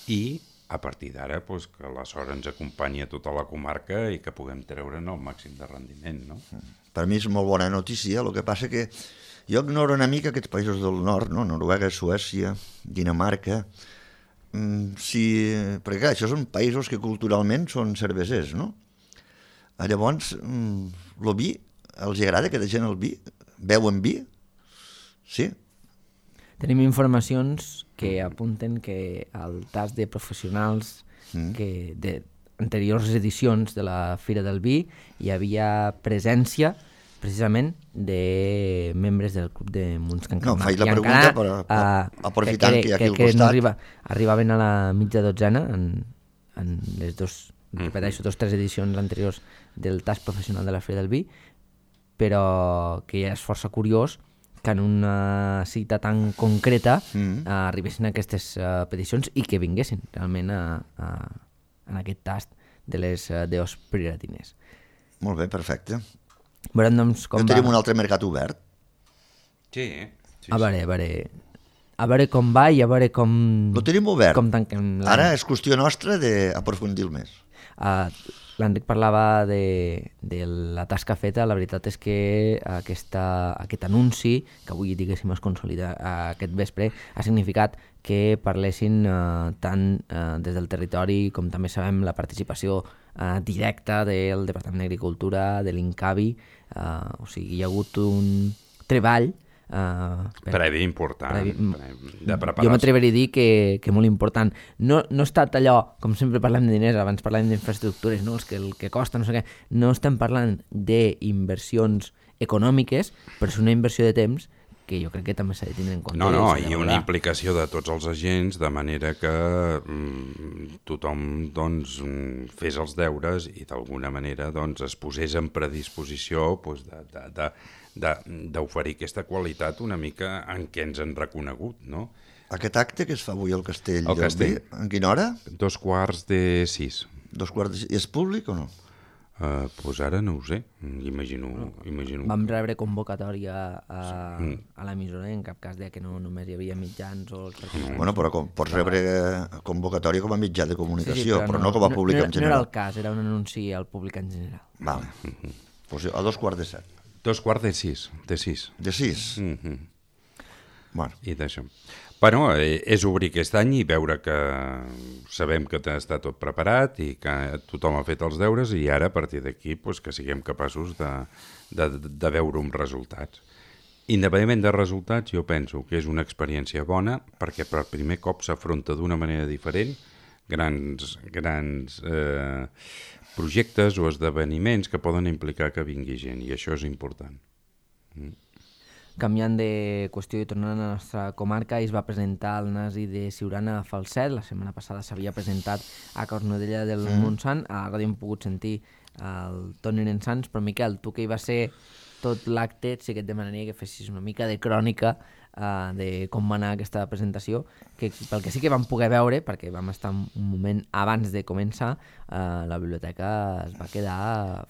i a partir d'ara doncs, que la sort ens acompanyi a tota la comarca i que puguem treure'n el màxim de rendiment. No? Per mi és molt bona notícia, el que passa que jo ignoro una mica aquests països del nord, no? Noruega, Suècia, Dinamarca, mm, si... perquè clar, això són països que culturalment són cervesers, no? Llavors, mm, el vi, els agrada que la gent el vi? Beuen vi? Sí? Tenim informacions que apunten que al tas de professionals mm. que de anteriors edicions de la Fira del Vi hi havia presència precisament de membres del club de Munts Can Calmat. No, faig la I pregunta encara, per, per, uh, aprofitant que, que hi ha aquí al costat. No arriba, arribaven a la mitja dotzena en, en les dos, mm. repeteixo, dos tres edicions anteriors del tas professional de la Fira del Vi, però que ja és força curiós que en una cita tan concreta mm. uh, arribessin aquestes uh, peticions i que vinguessin realment a, a, en aquest tast de les uh, deos prioratines. Molt bé, perfecte. Veurem, doncs, com no tenim va. un altre mercat obert. Sí, sí, a veure, a veure, a veure com va i a veure com... Lo tenim obert. Com tanquem l'any. Ara és qüestió nostra d'aprofundir-lo més. Uh, L'Enric parlava de, de la tasca feta. La veritat és que aquesta, aquest anunci, que avui diguéssim es consolida aquest vespre, ha significat que parlessin uh, tant uh, des del territori com també sabem la participació uh, directa del Departament d'Agricultura, de l'Incavi, uh, o sigui, hi ha hagut un treball Uh, per, previ important previ, de preparació. Jo m'atreveria a dir que, que molt important. No, no ha estat allò, com sempre parlem de diners, abans parlem d'infraestructures, no? El, que, el que costa, no sé què. No estem parlant d'inversions econòmiques, però és una inversió de temps que jo crec que també s'ha de tenir en compte. No, no, i una implicació de tots els agents, de manera que mm, tothom doncs, fes els deures i d'alguna manera doncs, es posés en predisposició doncs, de, de, de d'oferir aquesta qualitat una mica en què ens han reconegut, no? Aquest acte que es fa avui al Castell Al del Castell. Vi, en quina hora? Dos quarts de sis. Dos quarts de sis. I és públic o no? Uh, pues ara no ho sé, imagino... imagino... Vam rebre convocatòria a, a l'emissora, en cap cas deia que no només hi havia mitjans o... Els Mm. Bueno, però com, pots rebre convocatòria com a mitjà de comunicació, però, però no com a públic no, en no era general. el cas, era un anunci al públic en general. Vale. Pues a dos quarts de set. Dos quarts de sis, de sis. De sis? Mm -hmm. Bueno. I d'això. Bueno, eh, és obrir aquest any i veure que sabem que està tot preparat i que tothom ha fet els deures i ara, a partir d'aquí, pues, que siguem capaços de, de, de veure uns resultats. Independentment de resultats, jo penso que és una experiència bona perquè per primer cop s'afronta d'una manera diferent grans, grans eh, projectes o esdeveniments que poden implicar que vingui gent i això és important. Mm. Canviant de qüestió i tornant a la nostra comarca, es va presentar el Nasi de Siurana a Falset. La setmana passada s'havia presentat a Cornudella del mm. Montsant. A la ràdio hem pogut sentir el Toni Nensans, però Miquel, tu que hi va ser tot l'acte, sí que et demanaria que fessis una mica de crònica uh, de com va anar aquesta presentació, que pel que sí que vam poder veure, perquè vam estar un moment abans de començar, uh, la biblioteca es va quedar...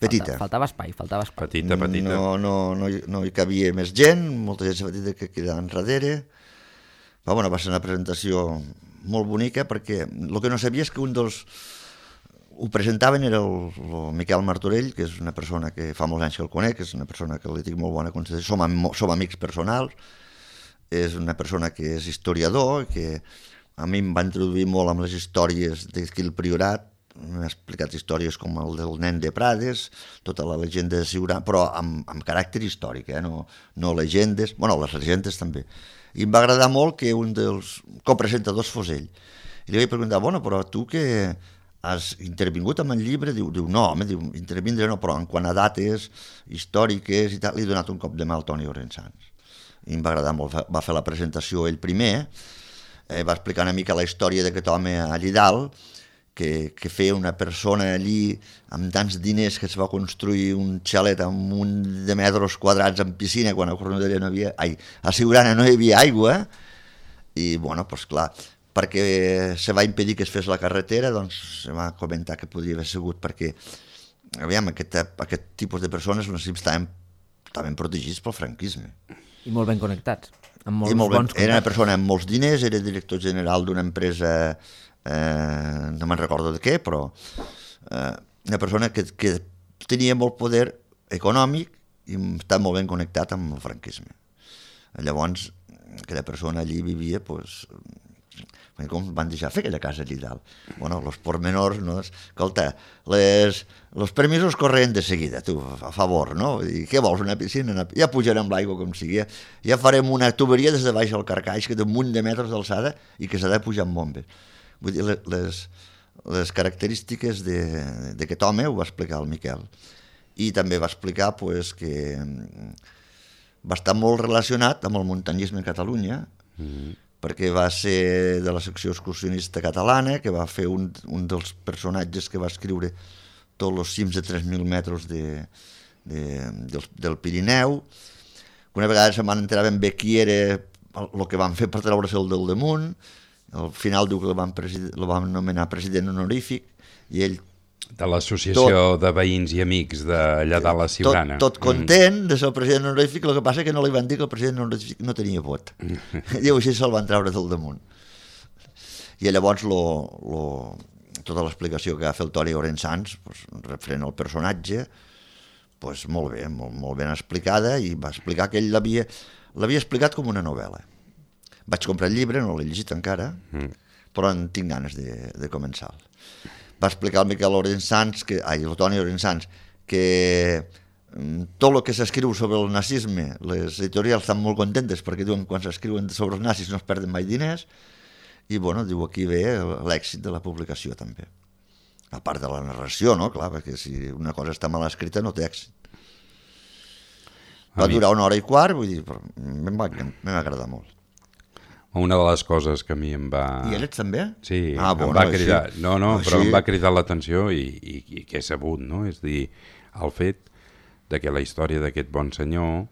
Petita. Falta, faltava espai, faltava espai. Petita, petita. No, no, no, hi, no hi cabia més gent, molta gent s'ha dit que quedava enrere. Però, bueno, va ser una presentació molt bonica perquè el que no sabia és que un dels... Ho presentaven era el, el Miquel Martorell, que és una persona que fa molts anys que el conec, és una persona que li tinc molt bona consideració, som, am som amics personals, és una persona que és historiador, que a mi em va introduir molt amb les històries d'aquí el Priorat, m'ha explicat històries com el del nen de Prades, tota la llegenda de Siurana, però amb, amb caràcter històric, eh? no, no legendes, bueno, les legendes també. I em va agradar molt que un dels copresentadors fos ell. I li vaig preguntar, bueno, però tu que has intervingut amb el llibre? Diu, diu no, home, diu, intervindre no, però en quant a dates històriques i tal, li he donat un cop de mà al Toni Orensans. I em va agradar molt, va fer la presentació ell primer, eh, va explicar una mica la història d'aquest home allí dalt, que, que feia una persona allí amb tants diners que es va construir un xalet amb un de metres quadrats en piscina quan a Cornudella no havia... Ai, a Siurana no hi havia aigua, i, bueno, doncs clar, perquè se va impedir que es fes la carretera, doncs se va comentar que podria haver sigut perquè, aviam, aquest, aquest tipus de persones no estaven, estaven protegits pel franquisme. I molt ben connectats, amb molts I molt ben, bons contactes. Era una persona amb molts diners, era director general d'una empresa, eh, no me'n recordo de què, però eh, una persona que, que tenia molt poder econòmic i estava molt ben connectat amb el franquisme. Llavors, aquella persona allí vivia, doncs, com van deixar fer aquella casa allí dalt. Bueno, els pormenors, no? Escolta, les, els permisos corrent de seguida, tu, a favor, no? I què vols, una piscina? Una... Ja pujarem l'aigua com sigui, ja farem una tuberia des de baix al carcaix, que té un munt de metres d'alçada i que s'ha de pujar amb bombes. Vull dir, les, les característiques d'aquest home ho va explicar el Miquel. I també va explicar pues, que va estar molt relacionat amb el muntanyisme a Catalunya, mm-hmm. perquè va ser de la secció excursionista catalana, que va fer un, un dels personatges que va escriure tots els cims de tres mil metres de, de, del, del Pirineu. Una vegada se van enterar ben bé qui era el que van fer per treure-se'l del damunt. Al final diu que el van, el van nomenar president honorífic i ell... De l'associació de veïns i amics d'allà de la Siurana. Tot, tot content mm. de ser el president honorífic, el que passa que no li van dir que el president honorífic no tenia vot. Diu, així se'l van treure del damunt. I llavors lo, lo, tota l'explicació que va fer el Toni Orensans, pues, referent al personatge, pues, molt bé, molt, molt ben explicada, i va explicar que ell l'havia l'havia explicat com una novel·la. Vaig comprar el llibre, no l'he llegit encara, mm. però en tinc ganes de, de començar-lo. Va explicar el Miquel Orensans, que, ai, el Toni Orensans, que tot el que s'escriu sobre el nazisme, les editorials estan molt contentes perquè diuen que quan s'escriuen sobre els nazis no es perden mai diners, i bueno, diu aquí ve l'èxit de la publicació també. A part de la narració, no? Clar, perquè si una cosa està mal escrita no té èxit. Va durar una hora i quart, vull dir, em va, va agradar molt. Una de les coses que a mi em va... I ell ets també? Sí, ah, em bueno, va cridar... Així... No, no, però així... em va cridar l'atenció i, i, i que he sabut, no? És dir, el fet de que la història d'aquest bon senyor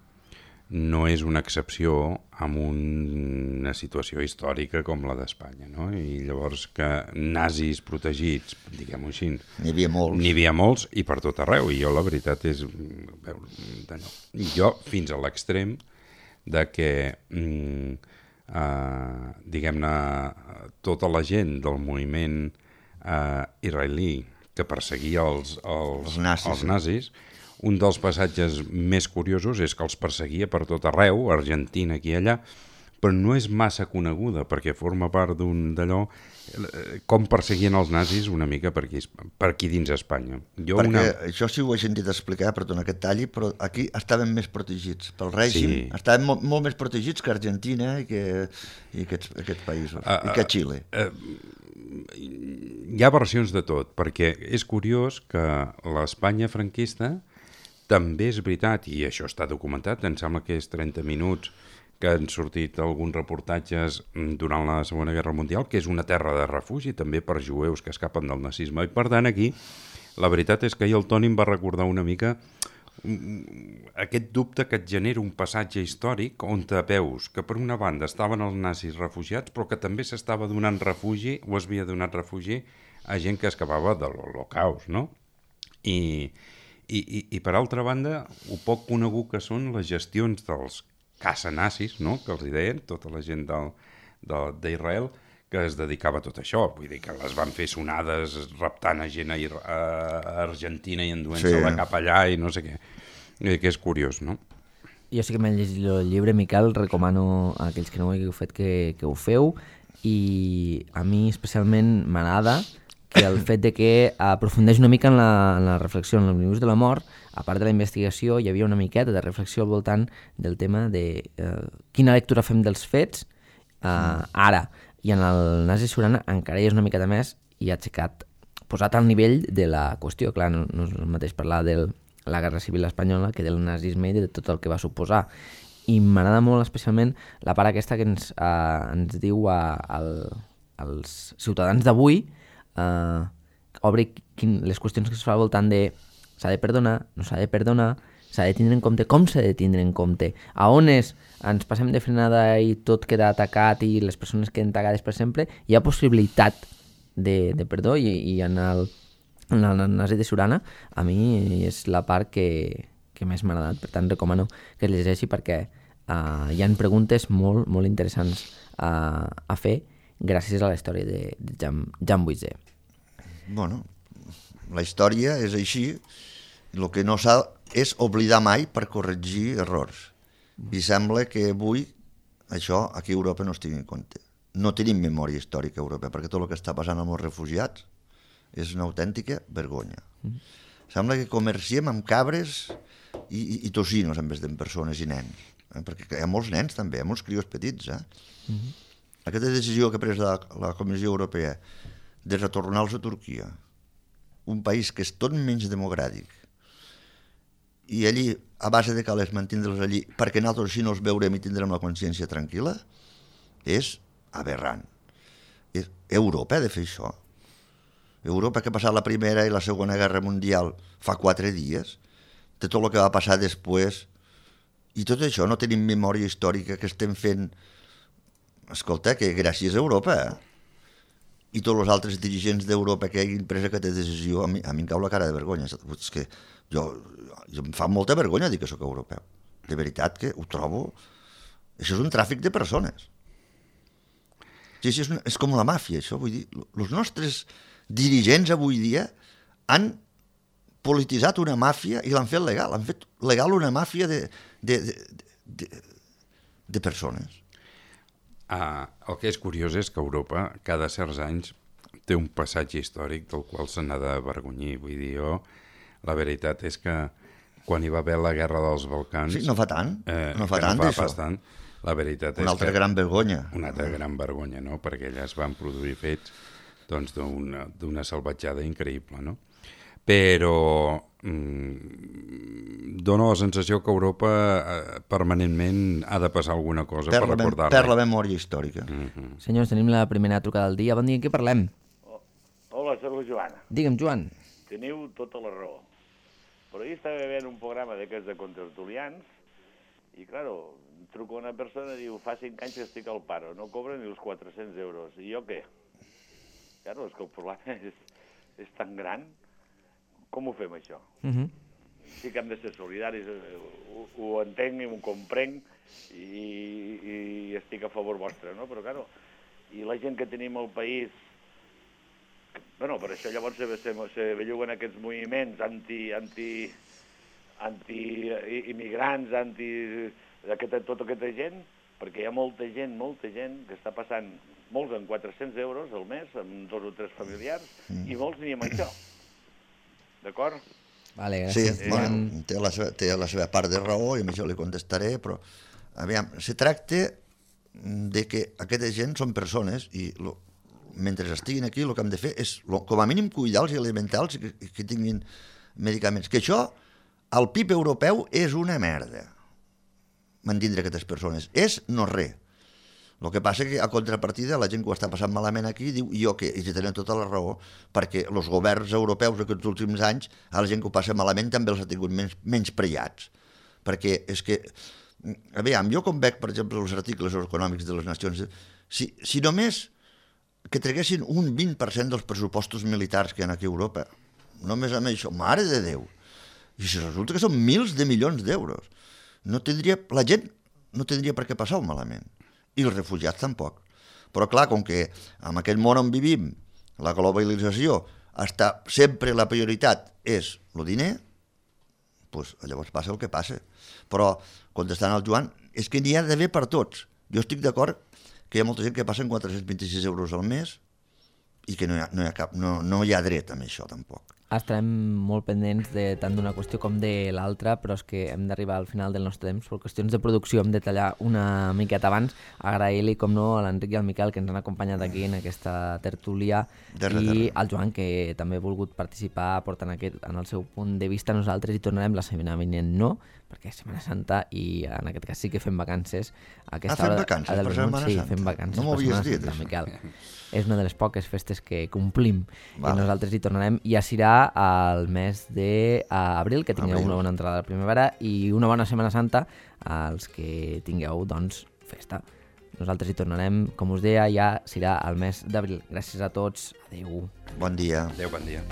no és una excepció en una situació històrica com la d'Espanya, no? I llavors que nazis protegits, diguem-ho així, n'hi havia molts. N'hi havia molts i per tot arreu, i jo la veritat és... I jo fins a l'extrem de que, mm, eh, diguem-ne, tota la gent del moviment eh, israelí que perseguia els, els, els nazis, els nazis, un dels passatges més curiosos és que els perseguia per tot arreu, Argentina, aquí i allà, però no és massa coneguda, perquè forma part d'un d'allò, com perseguien els nazis una mica per aquí, per aquí dins Espanya. Jo perquè una... això sí ho he sentit explicar, perdona que et talli, però aquí estaven més protegits pel règim, Sí. estaven molt, molt més protegits que Argentina i que, i aquests, aquests països, Uh, i que Xile. Uh, hi ha versions de tot, perquè és curiós que l'Espanya franquista també és veritat, i això està documentat, em sembla que és trenta minuts que han sortit alguns reportatges durant la Segona Guerra Mundial, que és una terra de refugi també per jueus que escapen del nazisme. I per tant aquí, la veritat és que ahir el Toni em va recordar una mica aquest dubte que et genera un passatge històric on te veus que per una banda estaven els nazis refugiats però que també s'estava donant refugi o es havia donat refugi a gent que escapava de l'Holocaust, no? I, i, i, i per altra banda, ho poc conegut que són les gestions dels caça-nazis, no?, que els hi deien, tota la gent d'Israel, que es dedicava a tot això. Vull dir que les van fer sonades raptant a gent a, a Argentina i enduent-se-la sí. cap allà i no sé què. I que és curiós, no? Jo sí que m'he llegit el llibre, Miquel, recomano a aquells que no ho hagueu fet que, que ho feu, i a mi especialment m'agrada que el fet de que aprofundeix una mica en la, en la reflexió, en l'omnibus de la mort, a part de la investigació, hi havia una miqueta de reflexió al voltant del tema de eh, quina lectura fem dels fets eh, ara. I en el Nazi Surana encara hi és una miqueta més i ha aixecat, posat al nivell de la qüestió. Clar, no, no és el mateix parlar de la Guerra Civil Espanyola que del nazisme i de tot el que va suposar. I m'agrada molt especialment la part aquesta que ens, eh, ens diu a, a, als ciutadans d'avui, Uh, obri quin, les qüestions que es fa al voltant de s'ha de perdonar, no s'ha de perdonar, s'ha de tindre en compte, com s'ha de tindre en compte, a on és, ens passem de frenada i tot queda atacat i les persones queden tacades per sempre, hi ha possibilitat de, de perdó i, i en el, en el Nazi de Surana a mi és la part que, que més m'ha agradat, per tant recomano que es llegeixi perquè uh, hi ha preguntes molt, molt interessants uh, a fer gràcies a la història de, de Jan, Jan Buisé. Bueno, la història és així, el que no s'ha és oblidar mai per corregir errors. I sembla que avui això aquí a Europa no es tingui en compte. No tenim memòria històrica europea, perquè tot el que està passant amb els refugiats és una autèntica vergonya. Mm. Sembla que comerciem amb cabres i, i, i tocinos en vez de persones i nens. Eh? Perquè hi ha molts nens també, hi ha molts crios petits, eh? Mm-hmm. Aquesta decisió que ha pres la, la Comissió Europea de retornar-los a Turquia, un país que és tot menys democràtic, i allí, a base de calés, mantindre'ls allí, perquè nosaltres així no els veurem i tindrem la consciència tranquil·la, és aberrant. És, Europa ha de fer això. Europa, que ha passat la Primera i la Segona Guerra Mundial fa quatre dies, de tot el que va passar després, i tot això no tenim memòria històrica que estem fent. Escolta, que gràcies a Europa, eh? I tots els altres dirigents d'Europa que hagin pres aquesta decisió, a mi, a mi em cau la cara de vergonya. És que jo, jo em fa molta vergonya dir que sóc europeu. De veritat que ho trobo... Això és un tràfic de persones. Sí, sí, és, una, és com la màfia, això. Vull dir, els nostres dirigents avui dia han polititzat una màfia i l'han fet legal. Han fet legal una màfia de, de, de, de, de persones. Ah, el que és curiós és que Europa cada certs anys té un passatge històric del qual se n'ha d'avergonyir. Vull dir, jo, la veritat és que quan hi va haver la Guerra dels Balcans... Sí, no fa tant, eh, no fa tant no d'això. Tant, la veritat una és altra que... gran vergonya. Una altra gran vergonya, no? Perquè allà es van produir fets doncs, d'una d'una salvatjada increïble, no? Però mmm, dona la sensació que Europa eh, permanentment ha de passar alguna cosa per, per recordar-la. Per la memòria històrica. Mm-hmm. Senyors, tenim la primera trucada del dia. Bon dia, què parlem? Oh, hola, soc la Joana. Digue'm, Joan. Teniu tota la raó. Però ahir estava veient un programa d'aquests de contertulians I, claro, truco a una persona i diu, fa cinc anys que estic al paro, no cobra ni els quatre-cents euros. I jo què? Claro, és que el problema és, és tan gran. Com ho fem, això? Uh -huh. Sí que hem de ser solidaris, ho, ho entenc i ho comprenc i, i estic a favor vostre, no? Però, claro, i la gent que tenim al país... Bueno, per això llavors se, se, se belluguen aquests moviments anti... anti anti-immigrants, anti... Aquesta, tota aquesta gent, perquè hi ha molta gent, molta gent que està passant molts amb quatre-cents euros al mes, amb dos o tres familiars, mm. i molts ni amb això. D'acord? Vale, gràcies. Sí, bueno, té la, seva, té la seva part de raó i a això li contestaré, però aviam, se tracta de que aquesta gent són persones i lo, mentre estiguin aquí el que hem de fer és lo, com a mínim cuidar-los i alimentar-los i que, que tinguin medicaments. Que això, el P I B europeu és una merda, mantindre aquestes persones. És no res. El que passa que a contrapartida la gent que ho està passant malament aquí diu jo què? I si tenen tota la raó, perquè els governs europeus aquests últims anys a la gent que ho passa malament també els ha tingut menys, menys prellats. Perquè és que, aviam, jo com veig, per exemple, els articles econòmics de les Nacions, si, si només que treguessin un vint per cent dels pressupostos militars que hi ha aquí a Europa, només amb això, mare de Déu, i si resulta que són mils de milions d'euros, no tindria, la gent no tindria per què passar-ho malament. I els refugiats tampoc. Però clar, com que en aquest món on vivim, la globalització, està, sempre la prioritat és el diner, doncs llavors passa el que passa. Però, contestant al Joan, és que n'hi ha d'haver per tots. Jo estic d'acord que hi ha molta gent que passen quatre-cents vint-i-sis euros al mes i que no hi ha, no hi ha, cap, no, no hi ha dret a això tampoc. Estarem molt pendents de tant d'una qüestió com de l'altra, però és que hem d'arribar al final del nostre temps. Per qüestions de producció hem de tallar una miqueta abans. Agrair-li, com no, a l'Enric i al Miquel que ens han acompanyat aquí en aquesta tertúlia de res, i de res. al Joan que també ha volgut participar aportant aquest, en el seu punt de vista. Nosaltres hi tornarem la setmana vinent, no, perquè és Setmana Santa i en aquest cas sí que fem vacances. Ah, fem vacances per Setmana sí, Santa? Fem vacances no m'ho havies dit, Santa, Miquel. És una de les poques festes que complim vale. I nosaltres hi tornarem. Ja serà al mes d'abril, que tingueu Abril. una bona entrada a la primavera i una bona Setmana Santa als que tingueu, doncs, festa. Nosaltres hi tornarem, com us deia, ja serà al mes d'abril. Gràcies a tots. Adéu. Bon dia. Adéu, bon dia.